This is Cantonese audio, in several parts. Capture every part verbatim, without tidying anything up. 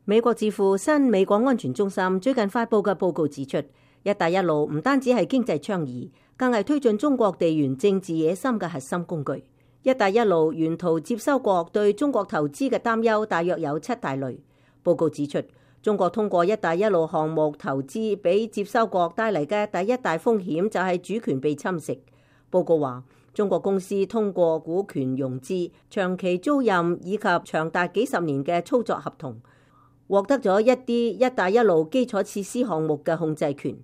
美國智庫新美國安全中心最近發佈嘅報告指出，一帶一路唔單止係經濟倡議，更係推進中國地緣政治野心嘅核心工具。一帶一路沿途接收國對中國投資嘅擔憂大約有七大類。報告指出，中國通過一帶一路項目投資俾接收國帶嚟嘅第一大風險就係主權被侵蝕。報告話，中國公司通過股權融資、長期租賃以及長達幾十年嘅操作合同，獲得咗一啲一帶一路基礎設施項目嘅控制權。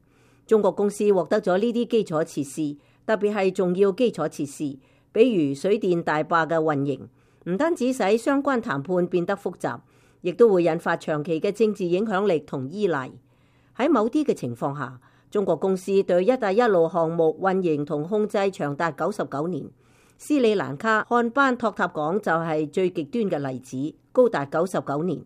中國公司獲得咗呢啲基礎設施，特別係重要基礎設施，比如水電大壩嘅運營，唔單止使相關談判變得複雜，亦都會引發長期嘅政治影響力同依賴。喺某啲嘅情況下，中國公司對一帶一路項目運營同控制長達九十九年。斯里蘭卡漢班托塔港就係最極端嘅例子，高達九十九年。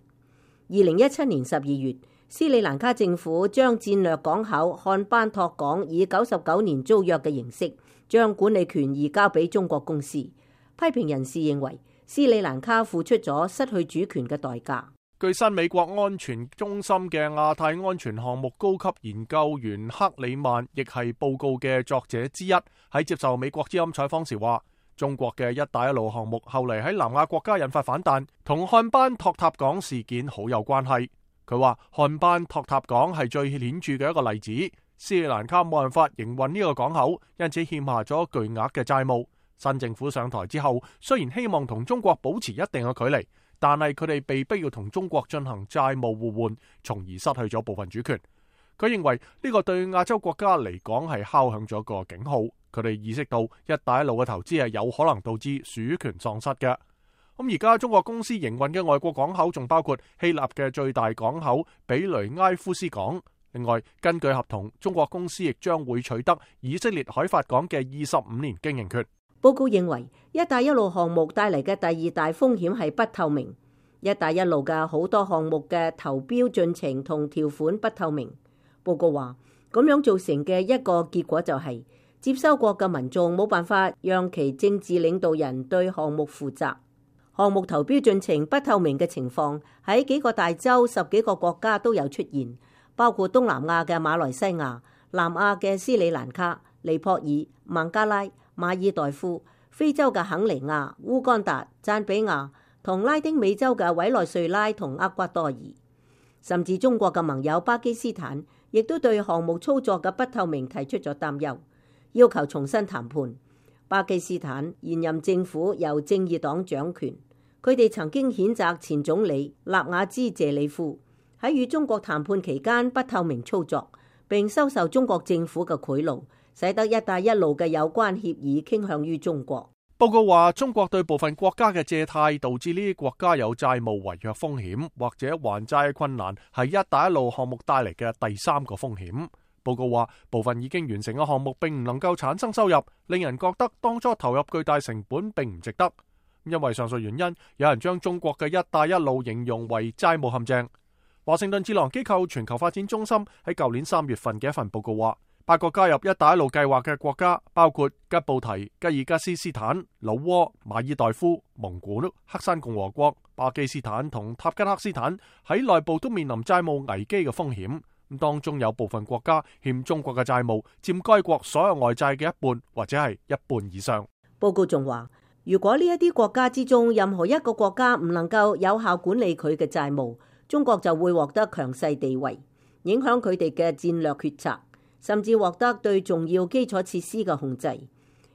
二零一七年十二月，斯里蘭卡政府將戰略港口漢班托港以九十九年租約嘅形式，將管理權移交俾中國公司。批評人士認為，斯里蘭卡付出咗失去主權嘅代價。據新美國安全中心嘅亞太安全項目高級研究員克里曼，亦係報告嘅作者之一，喺接受美國之音採訪時話，中國嘅一帶一路項目後嚟喺南亞國家引發反彈，同漢班托塔港事件好有關係。佢話漢班托塔港係最顯著嘅一個例子，斯里蘭卡冇辦法營運呢個港口，因此欠下咗巨額嘅債務。新政府上台之後，雖然希望同中國保持一定嘅距離，但係佢哋被逼要同中國進行債務互換，從而失去咗部分主權。佢認為呢個對亞洲國家嚟講係敲響咗個警號，佢哋意識到一帶一路嘅投資係有可能導致主權喪失嘅。咁而家中國公司營運嘅外國港口仲包括希臘嘅最大港口比雷埃夫斯港。另外，根據合同，中國公司亦將會取得以色列海法港嘅二十五年經營權。報告認為，一帶一路項目帶嚟嘅第二大風險係不透明。一帶一路嘅好多項目嘅投標進程同條款不透明。報告話，咁樣造成嘅一個結果就係、是、接收國嘅民眾冇辦法讓其政治領導人對項目負責。項目投標進程不透明嘅情況喺幾個大洲、十幾個國家都有出現，包括東南亞嘅馬來西亞、南亞嘅斯里蘭卡、尼泊爾、孟加拉、馬爾代夫、非洲嘅肯尼亞、烏干達、贊比亞同拉丁美洲嘅委內瑞拉同厄瓜多爾，甚至中國嘅盟友巴基斯坦亦都對項目操作嘅不透明提出咗擔憂，要求重新談判。巴基斯坦現任政府由正義黨掌權，佢哋曾經譴責前總理納瓦茲謝里夫喺與中國談判期間不透明操作，並收受中國政府嘅賄賂，使得一帶一路嘅有關協議傾向於中國。報告話，中國對部分國家嘅借貸導致呢啲國家有債務違約風險，或者還債困難，係一帶一路項目帶嚟嘅第三個風險。報告話，部分已經完成嘅項目並唔能夠產生收入，令人覺得當初投入巨大成本並唔值得。因為上述原因，有人將中國嘅一帶一路形容為債務陷阱。華盛頓智囊機構全球發展中心喺舊年三月份嘅一份報告話，八個加入一帶一路計劃嘅國家，包括吉布提、吉爾吉斯斯坦、老撾、馬爾代夫、蒙古、黑山共和國、巴基斯坦同塔吉克斯坦，喺內部都面臨債務危機嘅風險。咁當中有部分國家欠中國嘅債務佔該國所有外債嘅一半，或者係一半以上。報告仲話，如果呢一啲國家之中任何一個國家唔能夠有效管理佢嘅債務，中國就會獲得強勢地位，影響佢哋嘅戰略決策，甚至獲得對重要基礎設施嘅控制。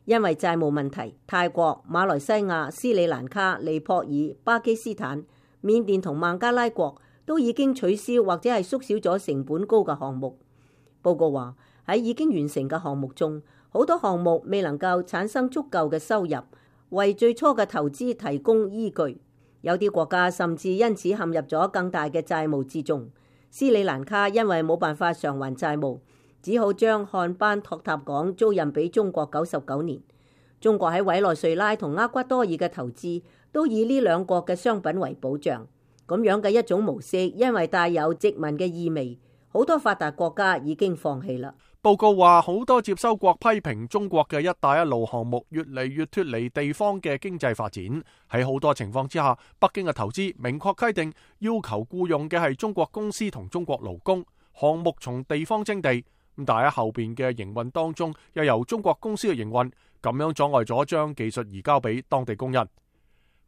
因為債務問題，泰國、馬來西亞、斯里蘭卡、尼泊爾、巴基斯坦、緬甸同孟加拉國都已經取消或者係縮小咗成本高嘅項目。報告話，喺已經完成嘅項目中，好多項目未能夠產生足夠嘅收入，為最初嘅投資提供依據。有啲國家甚至因此陷入咗更大嘅債務之中。斯里蘭卡因為冇辦法償還債務，只好將漢班托塔港租賃俾中國九十九年。中國喺委內瑞拉同厄瓜多爾嘅投資都以呢兩國嘅商品為保障。咁樣嘅一種模式，因為帶有殖民嘅意味，好多發達國家已經放棄啦。報告話，好多接收國批評中國嘅一帶一路項目越嚟越脫離地方嘅經濟發展。喺好多情況之下，北京嘅投資明確規定要求僱用嘅係中國公司同中國勞工，項目從地方徵地，咁但喺後邊嘅營運當中又由中國公司嘅營運，咁樣阻礙咗將技術移交俾當地工人。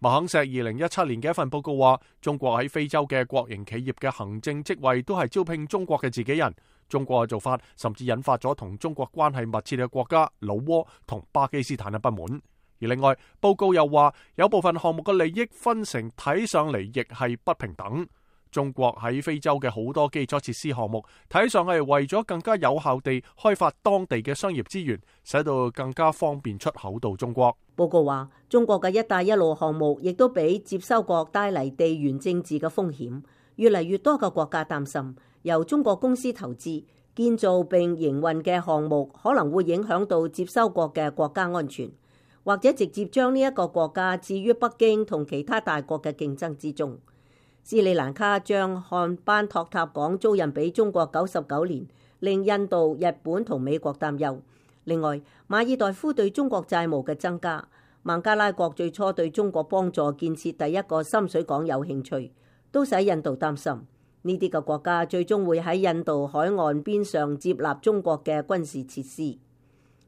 麥肯錫二零一七年嘅一份報告話，中國喺非洲嘅國營企業嘅行政職位都係招聘中國嘅自己人。中國嘅做法甚至引發咗同中國關係密切嘅國家老撾同巴基斯坦嘅不滿。而另外，報告又話有部分項目嘅利益分成睇上嚟亦係不平等。中國喺非洲嘅好多基礎設施項目睇上係為咗更加有效地開發當地嘅商業資源，使到更加方便出口到中國。報告話，中國嘅一帶一路項目亦都俾接收國帶嚟地緣政治嘅風險。越嚟越多嘅國家擔心，由中國公司投資建造並營運嘅項目可能會影響到接收國嘅國家安全，或者直接將呢一個國家置於北京同其他大國嘅競爭之中。斯里蘭卡將漢班托塔港租賃俾中國九十九年，令印度、日本同美國擔憂。另外，馬爾代夫對中國債務嘅增加，孟加拉國最初對中國幫助建設第一個深水港有興趣，都使印度擔心呢啲嘅國家最終會喺印度海岸邊上接納中國嘅軍事設施。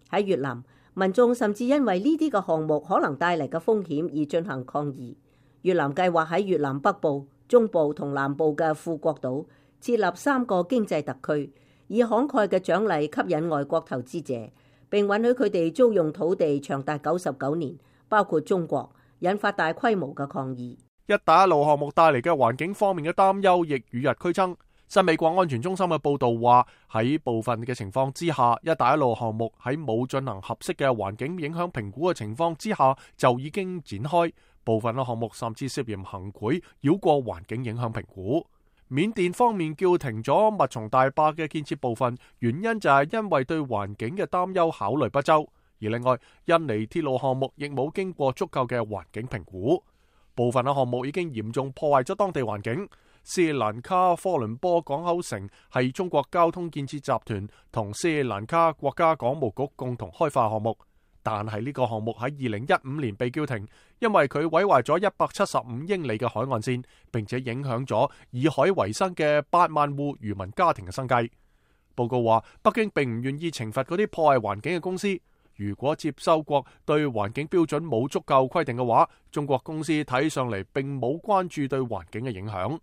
喺越南，民眾甚至因為呢啲嘅項目可能帶嚟嘅風險而進行抗議。越南計劃喺越南北部、中部同南部嘅富國島設立三個經濟特區，以慷慨嘅獎勵吸引外國投資者，並允許佢哋租用土地長達九十九年，包括中國，引發大規模嘅抗議。一帶一路項目帶嚟嘅環境方面嘅擔憂亦與日俱增。新美國安全中心嘅報道話，喺部分嘅情況之下，一帶一路項目喺冇進行合適嘅環境影響評估嘅情況之下就已經展開，部分嘅項目甚至涉嫌行賄，繞過環境影響評估。緬甸方面叫停咗密松大壩嘅建設部分，原因就係因為對環境嘅擔憂考慮不周。而另外，印尼鐵路項目亦冇經過足夠嘅環境評估。部分嘅項目已經嚴重破壞咗當地環境。斯里蘭卡科倫坡港口城係中國交通建設集團同斯里蘭卡國家港務局共同開發項目，但係呢個項目喺二零一五年被叫停，因為佢毀壞咗一百七十五英里嘅海岸線，並且影響咗以海為生嘅八萬戶漁民家庭嘅生計。報告話，北京並唔願意懲罰嗰啲破壞環境嘅公司。如果接收國對環境標準冇足夠規定嘅話，中國公司睇上嚟並冇關注對環境嘅影響。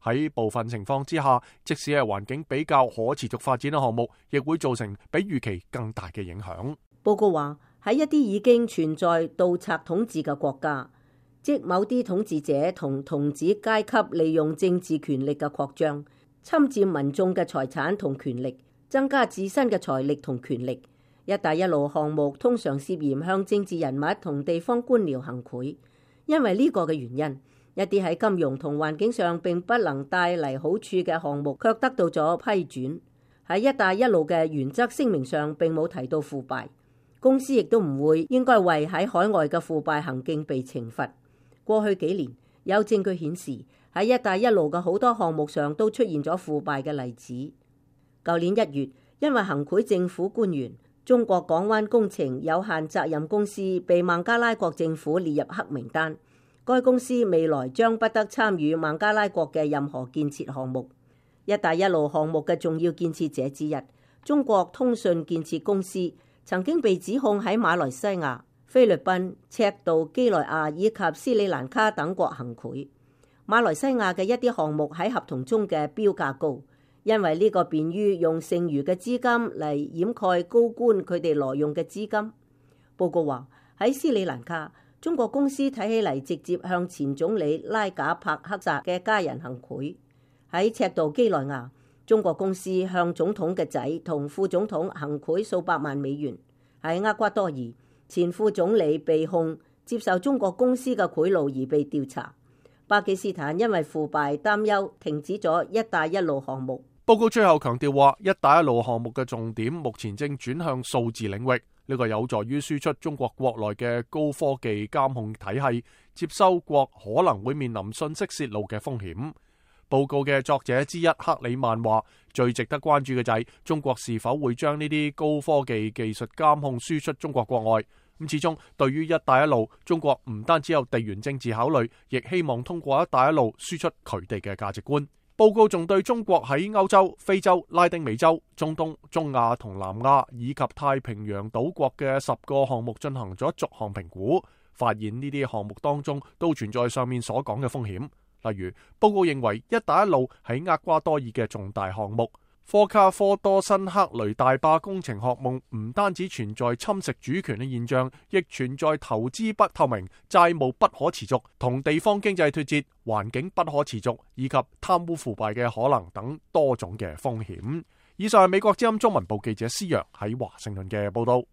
喺部分情況之下，即使係環境比較可持續發展嘅項目，亦會造成比預期更大嘅影響。報告話，喺一啲已經存在盜賊統治嘅國家，即某啲統治者同童子階級利用政治權力嘅擴張，侵佔民眾嘅財產同權力，增加自身嘅財力同權力。一帶一路項目通常涉嫌向政治人物同地方官僚行賄，因為呢個嘅原因，一啲喺金融同環境上並不能帶嚟好處嘅項目，卻得到咗批准。喺一帶一路嘅原則聲明上並冇提到腐敗，公司亦都唔會應該為喺海外嘅腐敗行徑被懲罰。過去幾年有證據顯示，喺一帶一路嘅好多項目上都出現咗腐敗嘅例子。舊年一月，因為行賄政府官員，中國港灣工程有限責任公司被孟加拉國政府列入黑名單，該公司未來將不得參與孟加拉國嘅任何建設項目。一帶一路項目嘅重要建設者之一，中國通訊建設公司曾經被指控喺馬來西亞、菲律賓、赤道幾內亞以及斯里蘭卡等國行賄。馬來西亞嘅一啲項目喺合同中嘅標價高，因為呢個便於用剩餘嘅資金嚟掩蓋高官佢哋挪用嘅資金。報告話，喺斯里蘭卡，中國公司睇起嚟直接向前總理拉賈帕克薩嘅家人行賄。喺赤道幾內亞，中國公司向總統嘅仔同副總統行賄數百萬美元。喺厄瓜多爾，前副總理被控接受中國公司嘅賄賂而被調查。巴基斯坦因為腐敗擔憂，停止咗一帶一路項目。報告最後強調話，一帶一路項目嘅重點目前正轉向數字領域，呢個有助於輸出中國國內嘅高科技監控體系，接收國可能會面臨信息泄露嘅風險。報告嘅作者之一克里曼話，最值得關注嘅就係中國是否會將呢啲高科技技術監控輸出中國國外。咁始終對於一帶一路，中國唔單止有地緣政治考慮，亦希望通過一帶一路輸出佢哋嘅價值觀。報告仲對中國喺歐洲、非洲、拉丁美洲、中東、中亞同南亞以及太平洋島國嘅十個項目進行咗逐項評估，發現呢啲項目當中都存在上面所講嘅風險。例如，報告認為一帶一路喺厄瓜多爾嘅重大項目科卡科多辛克雷大壩工程項目唔單止存在侵蝕主權嘅現象，亦存在投資不透明、債務不可持續、同地方經濟脫節、環境不可持續以及貪污腐敗嘅可能等多種嘅風險。以上係美國之音中文部記者施洋喺華盛頓嘅報道。